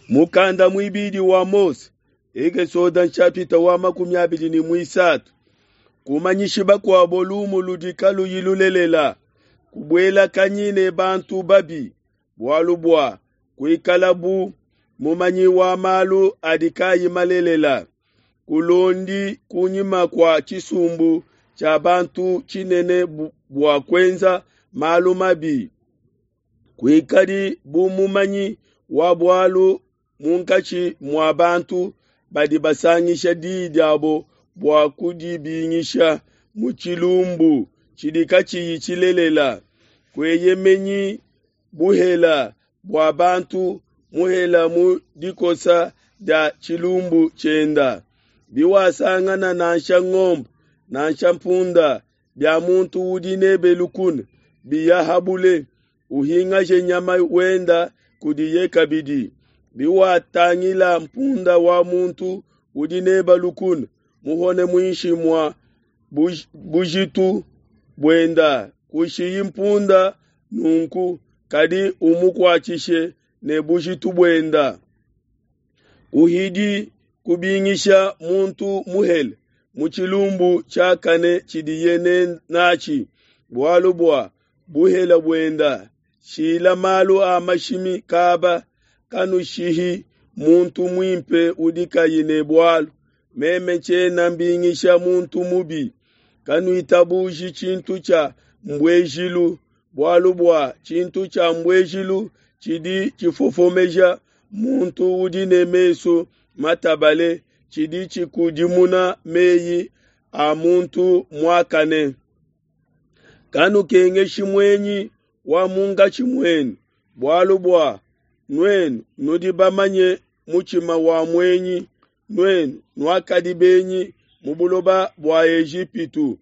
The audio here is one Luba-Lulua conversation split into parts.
Mukanda muibidi wa Mose, Ekesode nshapita wa 23. Kumanyishi bakuabo lumu ludi kaluyi lulelela, kubuelakanyi ne bantu babi, bualu bua kuikala bu mumanyi wa malu adi kayi malelela. Kulondi kunyima kua tshisumbu tshia bantu tshinene bua kuenza malu mabi. Kuikadi bu mumanyi wa bualu munkatshi mua bantu badi basangisha di diabo bua kudibingisha mu tshilumbu tshidi katshiyi tshilelela. Kueyemenyi buhela bua bantu muhela mu dikosa dia tshilumbu tshienda. Biwasangana nansha ngombe nansha mpunda bia muntu udi nebe lukuna biya ha bule, uhingaje nyama wenda kudiye kabidi. Biwatangila mpunda wa muntu udi nebe lukuna muhone muinshi mua bujitu buenda, kushiyi mpunda nunku, kadi umukuatshishe ne bujitu buenda. Kuhidi kubingisha muntu muhele mu tshilumbu tshiakane tshidiye natshi, bualu bua buhele buenda. Shila malu a mashimi kaba, kanushihi muntu muimpe udi kayi ne bualu. Meme tshiena mbingisha muntu mubi. Kanuitabuji tshintu tshia mbuejilu, bualu bua tshintu tshia mbuejilu tshidi tshifofomeja muntu udi ne mesu matabale, tshidi tshikudimuna meyi a muntu muakane. Kanukengeshi muenyi wa munkatshi muenu, bualu bua nuenu nudi bamanye mutshima wa muenyi, nuenu nuakadi benyi mu buloba bua Ejipitu.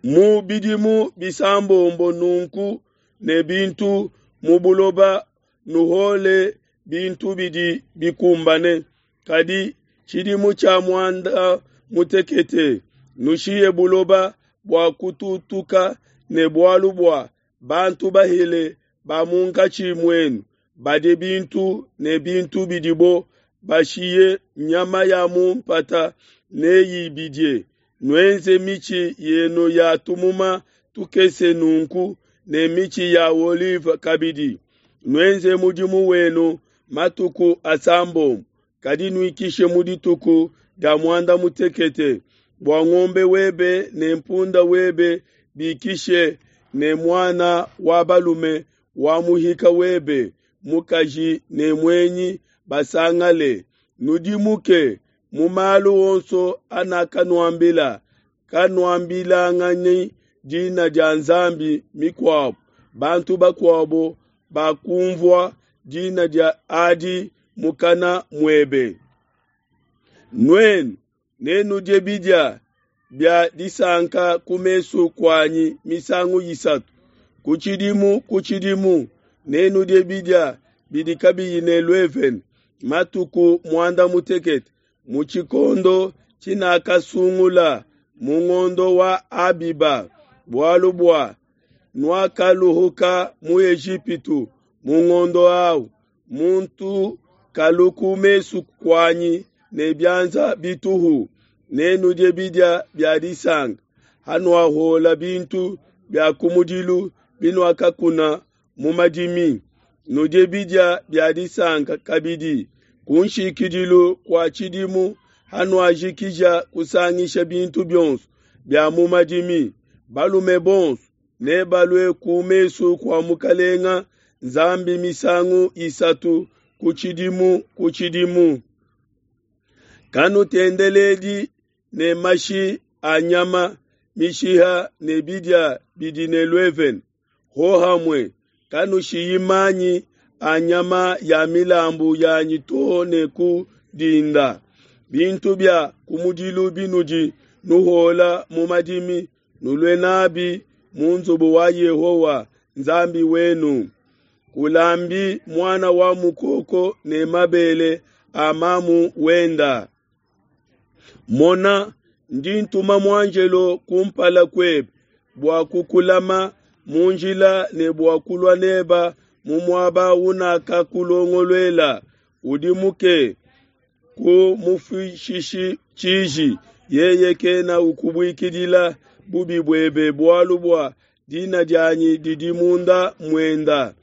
Mu bidimu bisambombo nunku ne bintu mu buloba nuhole bintu bidi bikumbane, kadi tshidimu tshia muanda mutekete nushiye buloba bua kututuka ne bualu bua bantu bahele ba munkatshi muenu badie bintu ne bintu bidibo bashiye nyama ya mu mpata neyibidie. Nuenze mitshi yenu ya tumuma tukese nunku ne mitshi ya olive kabidi. Nuenze mudimu wenu matuku asambombo, kadi nuikishe mu dituku dia muanda mutekete, bua ngombe webe ne mpunda webe bikishe ne muana wa balume wa muhika webe mukaji ne muenyi basangale. Nudimuke mu malu onso anakanuambila, kanuambilanganyi dina dia nzambi mikuabo. Bantu bakuabo bakumvua dina dia adi mukana muebe. Nuenu nenudie bidia bia disanka ku mesu kuanyi misangu isatu ku tshidimu ku tshidimu. Nenudie bidia bidi kabiyi ne luevene matuku muanda mutekete mu tshikondo tshinakasungula mu ngondo wa Abiba, bualu bua nuakaluhuka mu Ejipitu mu ngondo awu. Muntu kalu ku mesu kuanyi ne bianza bituhu. Nenudie bidia bia disanka hanuahuola bintu bia kumudilu binuakakuna mu madimi. Nudie bidia bia disanka kabidi ku nshikidilu kua tshidimu hanuajikija kusangisha bintu bionso bia mu madimi. Balume bonso nebalue ku mesu kua Mukalenga Nzambi misangu isatu ku tshidimu ku tshidimu. Kanutendeledi ne mashi a nyama mishiha ne bidia bidi ne luevene hohamue. Kanushiyi manyi a nyama ya milambu yanyi too ne ku dinda. Bintu bia kumudilu binudi nuhuola mu madimi nulue nabi mu nzubu wa Yehowa Nzambi wenu. Kulambi muana wa mukoko ne mabele a mamu wenda. Mona, ndi ntuma muanjelo kumpala kuebe bua kukulama mu njila ne bua kulua neba mu muaba unakakulongoluela. Udimuke, kumufuishishi tshiji, yeye kena ukubuikidila bubi buebe, bualu bua dina dianyi didi munda muenda.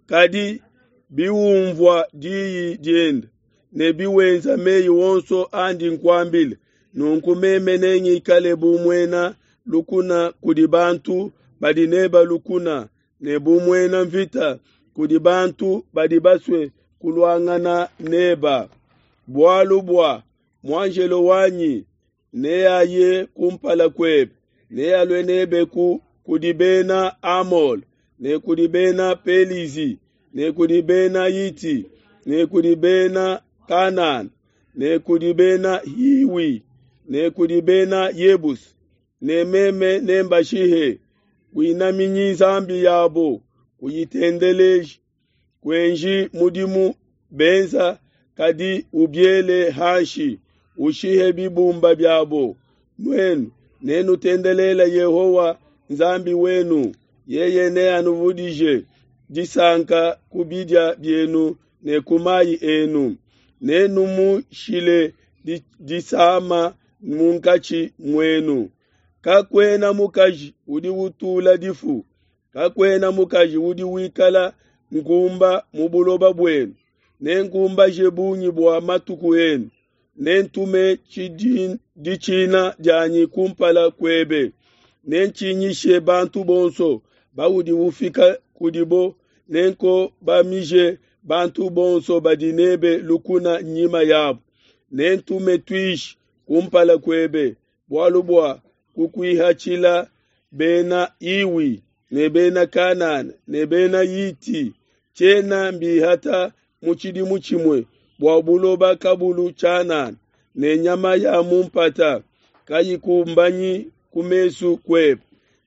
Kadi biwumvua diyi diende ne biwenza meyi onso andi nkuambila, nunku meme nengikale bu muena lukuna kudi bantu badi neba lukuna, ne bu muena mvita kudi bantu badi basue kuluangana neba. Bualu bua muanjelo wanyi neaye kumpala kuebe, nealue nebe ku kudi bena Amole, ne kudi bena Pelizi, ne kudi bena Hiti, ne kudi bena Kanana, ne kudi bena Hiwi, ne kudi bena Yebusi, ne meme nembashihe. Kuinaminyi nzambi yabo, kuyitendeleji, kuenji mudimu benza, kadi ubiele hanshi, ushihe bibumba biabo. Nuenu nenutendelele Yehowa Nzambi wenu, yeye neanuvudije disanka ku bidia bienu ne ku mayi enu. Nenumushile disama munkatshi muenu. Kakuena mukaji udi utula difu, kakuena mukaji udi wikala nkumba mu buloba buenu. Nenkumbaje bungi bua matuku enu, nentume ditshina dianyi kumpala kuebe, nentshinyishe bantu bonso baudi ufika kudibo, nenkobamije bantu bonso badi nebe lukuna nyima yabo. Nentume tuishi kumpala kuebe, bualu bua kukuihatshila bena Iwi ne bena Kanana ne bena Hiti. Tshiena mbihata mu tshidimu tshimue bua buloba kabulu tshianana, ne nyama ya mu mpata kayikumbanyi ku mesu kuebe.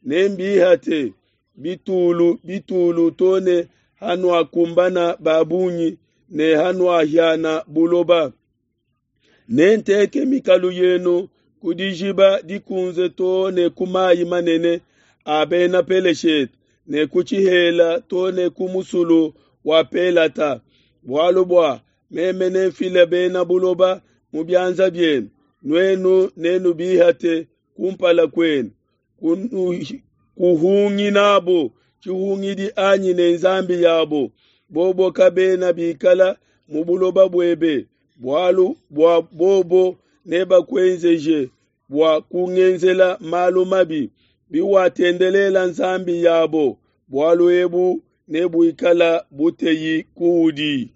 Nembihate bitulu bitulu to ne hanuakumbana ba bungi ne hanuahiana buloba. Nenteke mikalu yenu ku dijiba dikunze to ne ku mayi manene a bena Peleshete, ne ku tshihela to ne ku musulu wa Pelata. Bualu bua meme nenfile bena buloba mu bianza bienu, nuenu nenubihate kumpala kuenu. Kuhungi nabo tshihungidi anyi ne nzambi yabo, bobo kabena bikala mu buloba buebe, bualu bua bobo nebakuenzeje bua kungenzela malu mabi. Biwatendelela nzambi yabo, bualu ebu nebuikala buteyi kuudi.